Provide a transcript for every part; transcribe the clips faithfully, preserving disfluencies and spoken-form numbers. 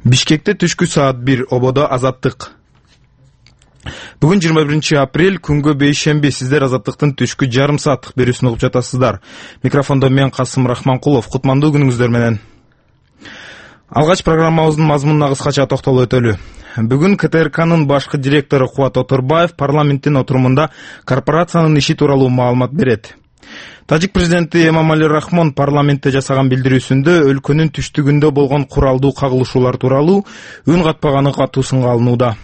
Бишкекте түшкү саат бир, ободо Азаттык. Бүгүн жыйырма биринчи апрель, күнгө бейшемби. Сиздер Азаттыктын түшкү жарым сааттык берүүсүн угуп жатасыздар. Микрофондо мен Касым Рахманкулов. Кутмандуу күнүңүздөр менен. Алгач программабыздын мазмунуна кыскача токтолуп өтөлү. Бүгүн К Т Р К'нын башкы директору Кубат Оторбаев парламенттин отурумунда корпорациянын иши тууралуу маалымат берет. Тажик президенти Эмомали Рахмон парламентте жасаган билдирүүсүндө өлкөнүн түштүгүндө болгон куралдуу кагылышуулар тууралуу үн катпаганы катуу сынга алынууда.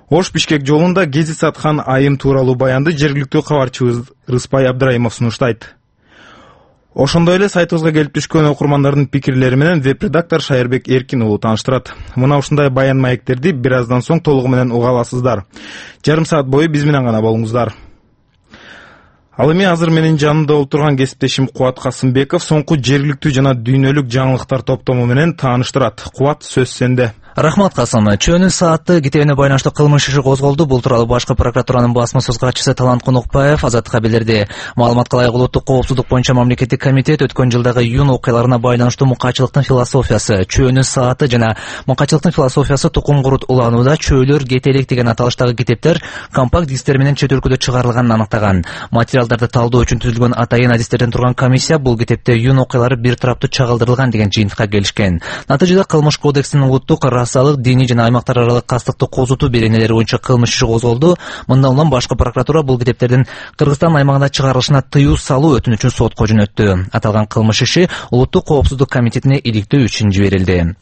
Ош Бишкек жолунда гези саткан айым тууралуу баянды жергиликтүү кабарчыбыз Рыспай Абдрайымов сунуштайт. Ошондой эле сайтыбызга келип түшкөн окурмандардын пикирлери менен веб-редактор Шайырбек Эркин уулу тааныштырат. Мына ушундай баян маектерди бир аздан соң толугу менен уга аласыздар. Жарым саат бою биз менен гана болуңуздар. Ал эми азыр менин жанымда отурган кесиптешим Кубат Касымбеков соңку жергиликтүү жана дүйнөлүк жаңылыктар топтому менен тааныштырат. Кубат, сөз сенде. Рахмат, Касым. Чөнүн сааты китебине байланыштуу кылмыш иши козголду. Бул тууралуу башкы прокуратуранын басма-сөз катчысы Талант Конукбаев Азаттыкка билдирди. Маалыматка ылайык улуттук коопсуздук боюнча мамлекеттик комитет өткөн жылдагы июнь окуяларына байланыштуу мукачылыктын философиясы, чөнүн сааты жана мукачылыктын философиясы тукум курут уланууда чөөлөр кетелик деген аталыштагы китептер компакт дисктер менен чет өлкөдө чыгарылганын аныктаган. Материалдарды талдоо үчүн түзүлгөн атайын адистерден турган комиссия бул китепте июнь окуялары бир тараптуу чагылдырылган деген жыйынтыкка келишкен. Натыйжада кылмыш кодексинин улуттук расалык, диний жана аймактар аралык кастыкты козутуу беренелери боюнча кылмыш иши козголду. Мындан улам башкы прокуратура бул китептердин Кыргызстан аймагында чыгарылышына тыюу салуу өтүнүчүн сотко жөнөттү. Аталган кылмыш иши улуттук коопсуздук комитетине иликтөө үчүн жиберилди.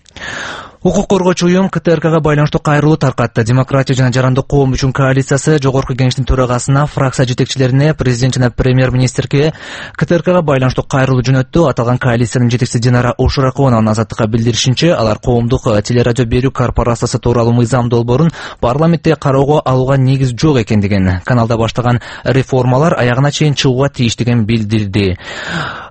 Укук коргоочу уюм К Т Р К'га байланыштуу кайрылуу таркатты. Демократия жана жарандык коом үчүн коалициясы Жогорку кеңештин төрагасына, фракция жетекчилерине, президент жана премьер-министрге К Т Р К'га байланыштуу кайрылуу жөнөттү. Аталган коалициянын жетекчиси Динара Ушуракованын Азаттыкка билдиришинче, алар коомдук телерадио берүү корпорациясы тууралуу мыйзам долбоорун парламентте кароого алууга негиз жок экендигин, каналда баштаган реформалар аягына чейин чыгууга тийиштигин билдирди.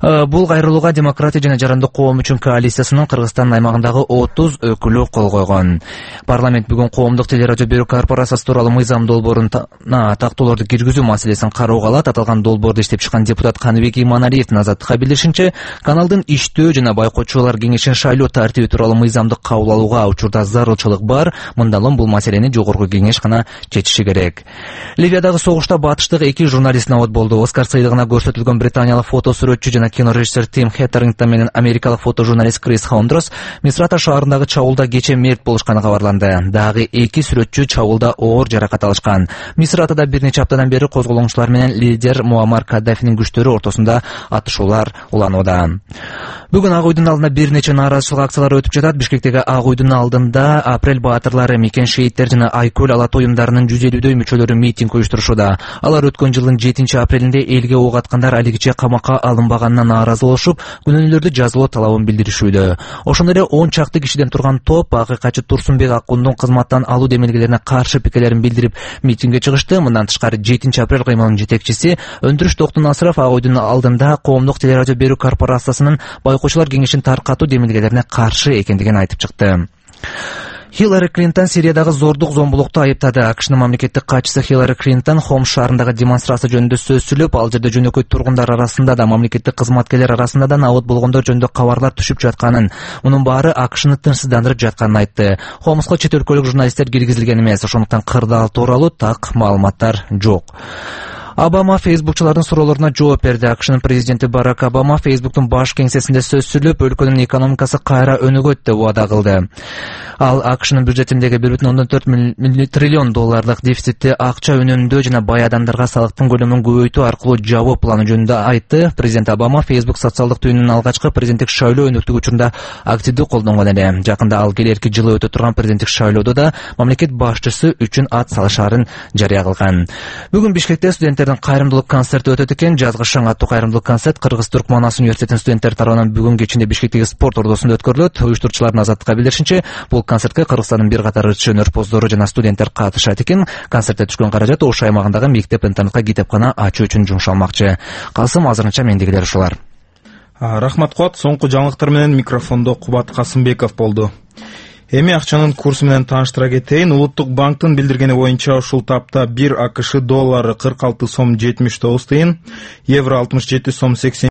Бул кайрылууга Демократия жана жарандык коом үчүн коалициясынын Кыргызстан аймагындагы отуз өкүлү кол койгон. Парламент бүгүн коомдук телерадио берүү корпорациясы тууралуу мыйзам долбооруна тактоолорду киргизүү маселесин кароого алат. Аталган долбоорду иштеп чыккан депутат Каныбек Иманалиевдин Азаттыкка билдиришинче, каналдын иштөө жана байкоочулар кеңешин шайлоо тартиби тууралуу мыйзамды кабыл алууга учурда зарылчылык бар. Мындан улам бул маселени Жогорку кеңеш гана чечиши керек. Ливиядагы согушта батыштык эки журналист набат болду. Оскар сыйлыгына көрсөтүлгөн британиялык фотосүрөтчү жана кинорежиссер Тим Хеттерингтон менен америкалык фотожурналист Крис Хондрос Мисрата шаарындагы чабуулда кече мерт болушканы кабарланды. Дагы эки сүрөтчү чабуулда оор жаракат алышкан. Мисратада бир нече аптадан бери козголоңчулар менен лидер Муаммар Каддафинин күчтөрү ортосунда атышуулар уланууда. Бүгүн Ак Үйдүн алдында бир нече нааразычылык акциялары өтүп жатат. Бишкектеги Ак Үйдүн алдында Апрель баатырлары, Микен шейиттер жана Айкөл Алатоо уюмдарынын жүз элүүдөй мүчөлөрү митинг уюштурушууда. Алар өткөн жылдын жетинчи апрелинде элге ок аткандар алигиче камакка алынбаганына нааразы болушуп, күнөөнүүлөрдү жазылуу талабын билдиришүүдө. Ошондой эле он чакты кишиден турган топ акыйкатчы Турсунбек Акундун кызматтан алуу демилгелерине каршы пикирлерин билдирип митингге чыгышты. Мындан тышкары жетинчи апрель кыймылынын жетекчиси Өндүрүш Токтунасыров Ак Үйдүн алдында коомдук телерадио берүү корпорациясынын байкоочулар кеңешин таркатуу демилгелерине каршы экендигин айтып чыкты. Хиллари Клинтон Сириядагы зордук зомбулукту айыптады. АКШнын мамлекеттик катчысы Хиллари Клинтон Хомс шаарындагы демонстрация жөнүндө сөз сүйлөп, ал жерде жөнөкөй тургундар арасында да, мамлекеттик кызматкерлер арасында да набыт болгондор жөнүндө кабарлар түшүп жатканын, мунун баары АКШны тынчсыздандырып жатканын айтты. Хомско чет өлкөлүк журналисттер киргизилген эмес, ошондуктан кырдаал тууралуу так маалыматтар жок. Обама фейсбукчулардын суроолоруна жооп берди. АКШнын президенти Барак Обама Фейсбуктун баш кеңсесинде сөз сүйлөп, өлкөнүн экономикасы кайра өнүгөт деп убада кылды. Ал АКШнын бюджетиндеги бир бүтүн ондон төрт триллион долларлык дефицитти акча үнөмдөө жана бай адамдарга салыктын көлөмүн көбөйтүү аркылуу жабуу планы жөнүндө айтты. Президент Обама Фейсбук социалдык түйүнүнүн алгачкы президенттик шайлоо өнөктүгү учурунда активдүү колдонгон эле. Жакында ал келерки жылы өтө турган президенттик шайлоодо да мамлекет башчысы үчүн ат салышаарын жарыя кылган. Бүгүн Бишкекте студенттер кайрымдуулук концерти өтөт экен. Жазгы шаң аттуу кайрымдуулук концерт Кыргыз-Түрк Манас университетинин студенттери тарабынан бүгүн кечинде Бишкектеги спорт ордосунда өткөрүлөт. Уюштуруучулардын Азаттыкка билдиришинче, бул концертке Кыргызстандын бир катар ырчы өнөрпоздору жана студенттер катышат экен. Концертте түшкөн каражат Ош аймагындагы мектеп-интернатка китепкана ачуу үчүн жумшалмакчы. Касым, азырынча мендегилер ушулар. Рахмат Кубат. Соңку жаңылыктар менен микрофондо Кубат Касымбеков болду. Эми акчанын курсу менен тааныштыра кетейин. Улуттук банктын билдиргени боюнча ушул тапта бир АКШ доллары кырк алты сом жетимиш тогуз тыйын, евро алтымыш жети сом сексен